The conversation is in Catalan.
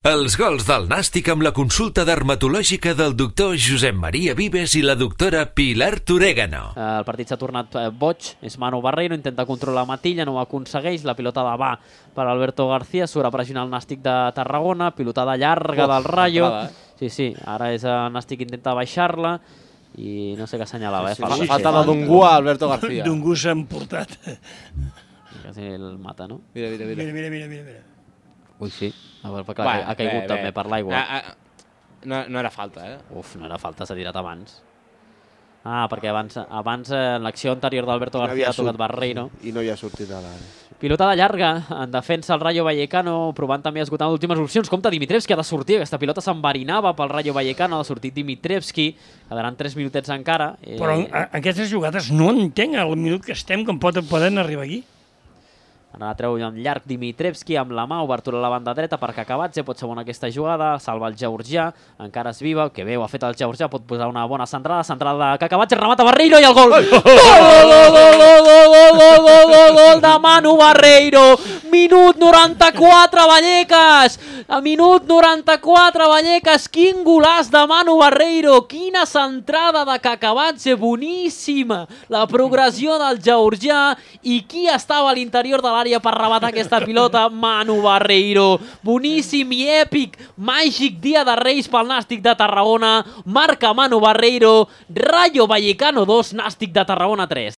Els gols del Nàstic amb la consulta dermatològica del doctor Josep Maria Vives i la doctora Pilar Torégano. El partit s'ha tornat boig, és Manu Barreiro, intenta controlar Matilla, no ho aconsegueix, la pilotada va per Alberto García, surt a pressionar el Nàstic de Tarragona, pilotada llarga del Rayo. Sí, ara és el Nàstic intenta baixar-la i no sé què assenyalava. Falta de Dungú a Alberto García. Dungú s'ha emportat. Quasi el mata, no? Mira. Ui, sí. Ha caigut també per l'aigua. No era falta, eh? Uf, no era falta, s'ha tirat abans. Perquè abans en l'acció anterior d'Alberto García ha tocat Barreiro. I no hi ha sortit a l'àrea. Pilotada llarga, en defensa el Rayo Vallecano, provant també esgotant últimes opcions. Compte, Dimitrievski ha de sortir, aquesta pilota s'enverinava pel Rayo Vallecano, ha de sortir Dimitrievski, quedaran 3 minutets encara. Però aquestes jugades no entenc el minut que estem com poden arribar aquí. Ara treu en llarg Dimitrievski amb la mà, obertura a la banda dreta per Cacabatze, pot ser bona aquesta jugada, salva el georgià, encara és viva, que bé ho ha fet el georgià, pot posar una bona centrada de Cacabatze, remata Barreiro i el gol! Gol de Manu Barreiro! Minut 94, Vallecas! A minut 94, Vallecas, quin golaç de Manu Barreiro! Quina centrada de Cacabatze, boníssima! La progressió del georgià i qui estava a l'interior de l'àrea per rematar aquesta pilota? Manu Barreiro. Boníssim i èpic, màgic dia de Reis pel Nàstic de Tarragona. Marca Manu Barreiro. Rayo Vallecano 2, Nàstic de Tarragona 3.